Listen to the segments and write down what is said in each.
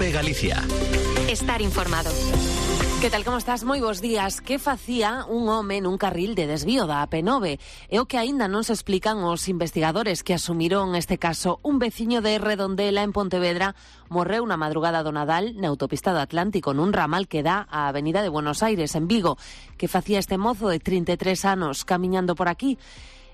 COPE Galicia. Estar informado. Que tal, como estás? Moi bons días. Que facía un home nun carril de desvío da AP9? É o que aínda non se explican os investigadores que asumiron este caso. Un veciño de Redondela, en Pontevedra, morreu na madrugada do Nadal na autopista do Atlántico, nun ramal que dá á Avenida de Buenos Aires, en Vigo. Que facía este mozo de 33 anos camiñando por aquí?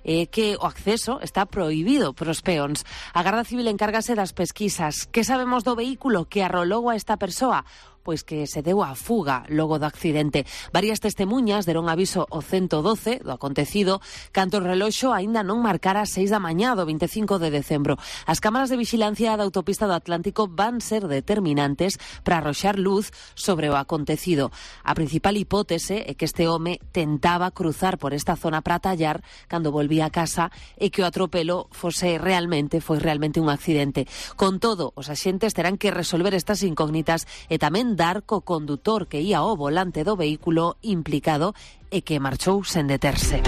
Que o acceso está prohibido pros peóns. A Garda Civil encárgase das pesquisas. Que sabemos do vehículo que arrolou a esta persoa? Pois que se deu a fuga logo do accidente. Varias testemuñas deron aviso ao 112 do acontecido canto o reloxo aínda non marcara 6 da mañá do 25 de decembro. As cámaras de vixilancia da autopista do Atlántico van ser determinantes para arroxar luz sobre o acontecido. A principal hipótese é que este home tentaba cruzar por esta zona para tallar cando volvía a casa e que o atropelo foi realmente un accidente. Con todo, os axentes terán que resolver estas incógnitas e tamén dar co condutor que ía ao volante do vehículo implicado e que marchou sen deterse.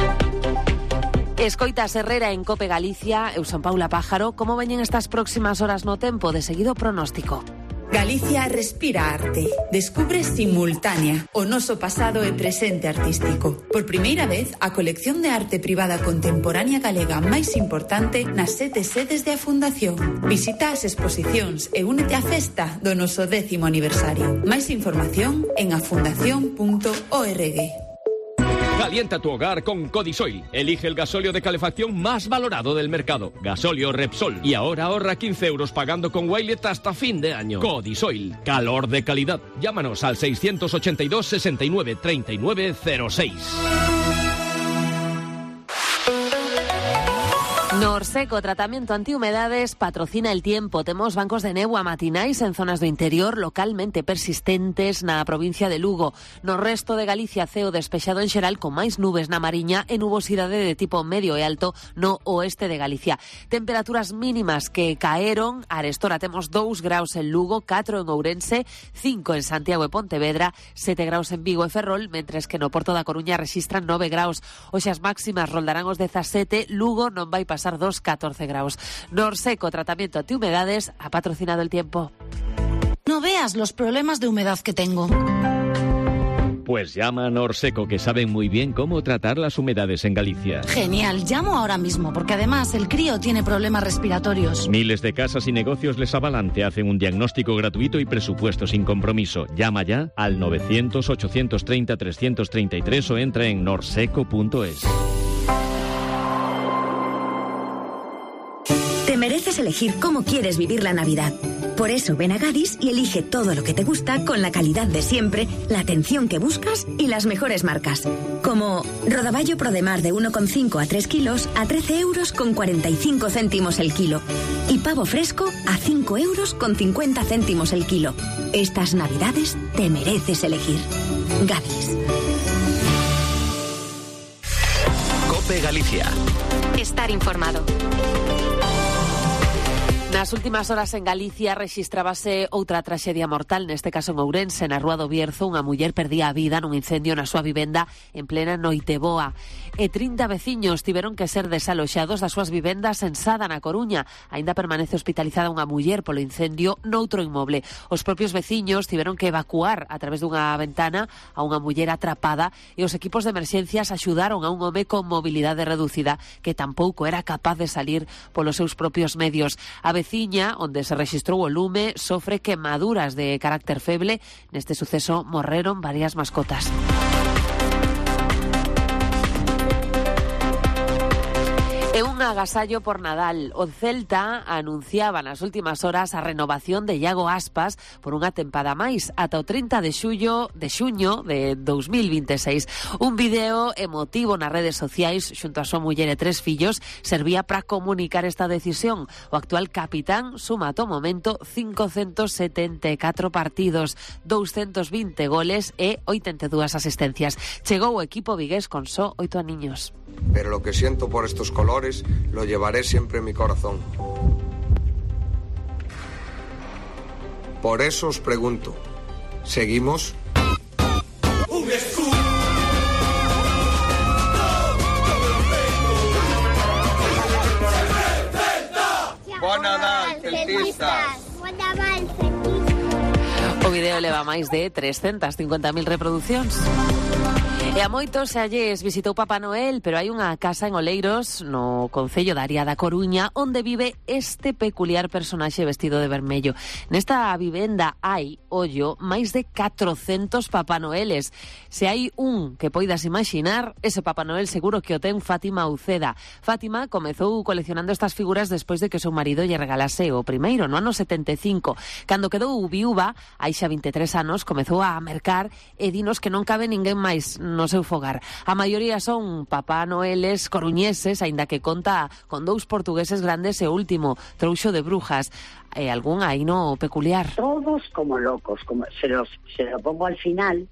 Escoitas Herrera en COPE Galicia. Eu son Paula Pájaro. Como veñen estas próximas horas no tempo? De seguido pronóstico. Galicia respira arte. Descubre Simultánea, o noso pasado e presente artístico. Por primeira vez, a colección de arte privada contemporánea galega máis importante nas 7 sedes de a Fundación. Visita as exposicións e únete á festa do noso 10º aniversario. Máis información en afundación.org. Calienta tu hogar con Codisoil. Elige el gasóleo de calefacción más valorado del mercado. Gasóleo Repsol. Y ahora ahorra 15 euros pagando con Wilet hasta fin de año. Codisoil. Calor de calidad. Llámanos al 682 69 39 06. Norseco, tratamiento antihumedades, patrocina el tiempo. Temos bancos de néboa matinais en zonas do interior localmente persistentes na provincia de Lugo. No resto de Galicia, ceo despexado en xeral con máis nubes na Mariña e nubosidade de tipo medio e alto no oeste de Galicia. Temperaturas mínimas que caeron. Arestora temos 2 graus en Lugo, 4 en Ourense, 5 en Santiago e Pontevedra, 7 graus en Vigo e Ferrol, mentres que no Porto da Coruña registran 9 graus. Hoxe as máximas roldarán os 17, Lugo non vai pasar 14 graus. Norseco, tratamiento antihumedades, ha patrocinado el tiempo. No veas los problemas de humedad que tengo. Pues llama a Norseco, que saben muy bien cómo tratar las humedades en Galicia. Genial, llamo ahora mismo, porque además el crío tiene problemas respiratorios. Miles de casas y negocios les avalan, te hacen un diagnóstico gratuito y presupuesto sin compromiso. Llama ya al 900-830-333 o entra en norseco.es. Te mereces elegir cómo quieres vivir la Navidad. Por eso ven a Gadis y elige todo lo que te gusta con la calidad de siempre, la atención que buscas y las mejores marcas. Como rodaballo Prodemar de 1,5 a 3 kilos a 13 euros con 45 céntimos el kilo. Y pavo fresco a 5 euros con 50 céntimos el kilo. Estas Navidades te mereces elegir. Gadis. COPE Galicia. Estar informado. Nas últimas horas en Galicia rexistrábase outra traxedia mortal, neste caso en Ourense, na Rúa do Bierzo. Unha muller perdía a vida nun incendio na súa vivenda en plena Noiteboa. E 30 veciños tiveron que ser desaloxados das súas vivendas en Sada, na Coruña. Aínda permanece hospitalizada unha muller polo incendio noutro inmoble. Os propios veciños tiveron que evacuar a través dunha ventana a unha muller atrapada e os equipos de emerxencias axudaron a un home con mobilidade reducida que tampouco era capaz de salir polos seus propios medios. A veciña, onde se rexistrou o lume, sofre quemaduras de carácter feble. Neste suceso morreron varias mascotas. E un agasallo por Nadal. O Celta anunciaba nas últimas horas a renovación de Iago Aspas por unha tempada máis ata o 30 de xuño de 2026. Un vídeo emotivo nas redes sociais xunto a súa muller e 3 fillos servía para comunicar esta decisión. O actual capitán suma ata o momento 574 partidos, 220 goles e 82 asistencias. Chegou o equipo vigués con só 8 aniños. Pero lo que siento por estos colores lo llevaré siempre en mi corazón. Por eso os pregunto, ¿seguimos? Un escudo. Buen Nadal, celtistas. Buen Nadal, celtistas. O vídeo leva máis de 350.000 reproduccións. E a moitos se alles visitou Papá Noel, pero hai unha casa en Oleiros, no concello da Aria da Coruña, onde vive este peculiar personaxe vestido de vermello. Nesta vivenda hai, ollo, máis de 400 Papá Noeles. Se hai un que poidas imaginar, ese Papá Noel seguro que o ten Fátima Uceda. Fátima comezou coleccionando estas figuras despois de que o seu marido lle regalase o primeiro, no ano 75. Cando quedou viúva, hai xa 23 anos, comezou a mercar e dinos que non cabe ninguén máis no seu fogar. A maioría son Papá Noeles coruñeses, aínda que conta con 2 portugueses grandes e o último, Trouxo de Brujas. E algún aí no peculiar. Todos como locos, como se lo pongo al final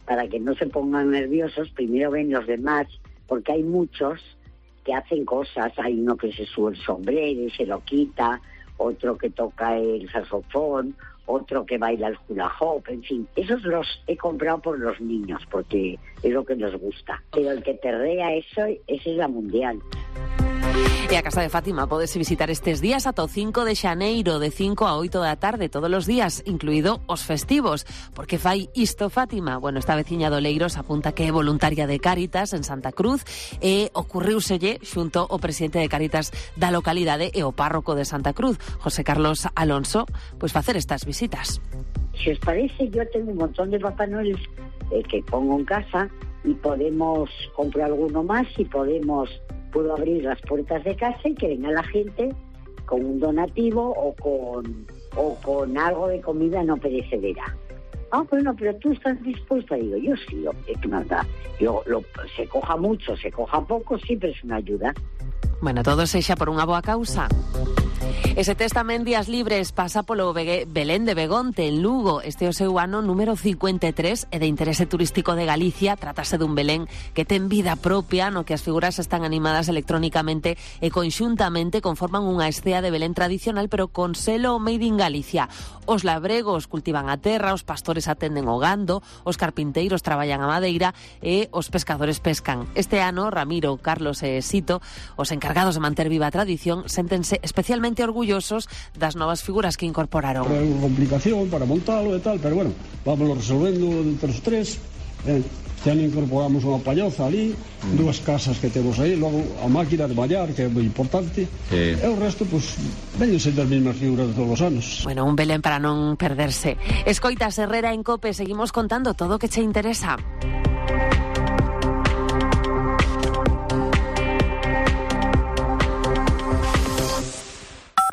para que no se pongan nerviosos. Primero ven los demás, porque hay muchos que hacen cosas. Hay uno que se sube el sombrero y se lo quita, otro que toca el saxofón, otro que baila el hula hoop, en fin. Esos los he comprado por los niños, porque es lo que nos gusta. Pero el que terrea eso, esa es la mundial. E a casa de Fátima podese visitar estes días ata o 5 de xaneiro, de 5 a 8 da tarde, todos os días, incluído os festivos. Por que fai isto Fátima? Bueno, esta veciña de Oleiros apunta que é voluntaria de Cáritas en Santa Cruz e ocurriuselle xunto o presidente de Cáritas da localidade e o párroco de Santa Cruz, José Carlos Alonso, pois facer estas visitas. Si os parece, yo tengo un montón de Papá Noel que pongo en casa y podemos comprar alguno más y puedo abrir las puertas de casa y que venga la gente con un donativo o con algo de comida no perecedera. Ah, bueno, pero tú estás dispuesta. Digo, yo sí, es que nada. Se coja mucho, se coja poco, siempre es una ayuda. Bueno, todo sexa por unha boa causa. Ese tes tamén días libres pasa polo Belén de Begonte, en Lugo. Este é o seu ano número 53 e de interese turístico de Galicia. Trátase dun Belén que ten vida propia, no que as figuras están animadas electrónicamente e conxuntamente conforman unha escea de Belén tradicional, pero con selo made in Galicia. Os labregos cultivan a terra, os pastores atenden o gando, os carpinteiros traballan a madeira e os pescadores pescan. Este ano, Ramiro, Carlos e Sito, os encargados de manter viva a tradición, séntense especialmente orgullosos das novas figuras que incorporaron. Foi unha complicación para montalo e tal, pero bueno, vámonos resolvendo entre os tres. Xa incorporamos unha palloza ali, 2 casas que temos aí, logo a máquina de mallar, que é moi importante, e o resto, pois, veñen sendo as mesmas figuras de todos os anos. Bueno, un Belén para non perderse. Escoitas Herrera en COPE, seguimos contando todo o que che interesa.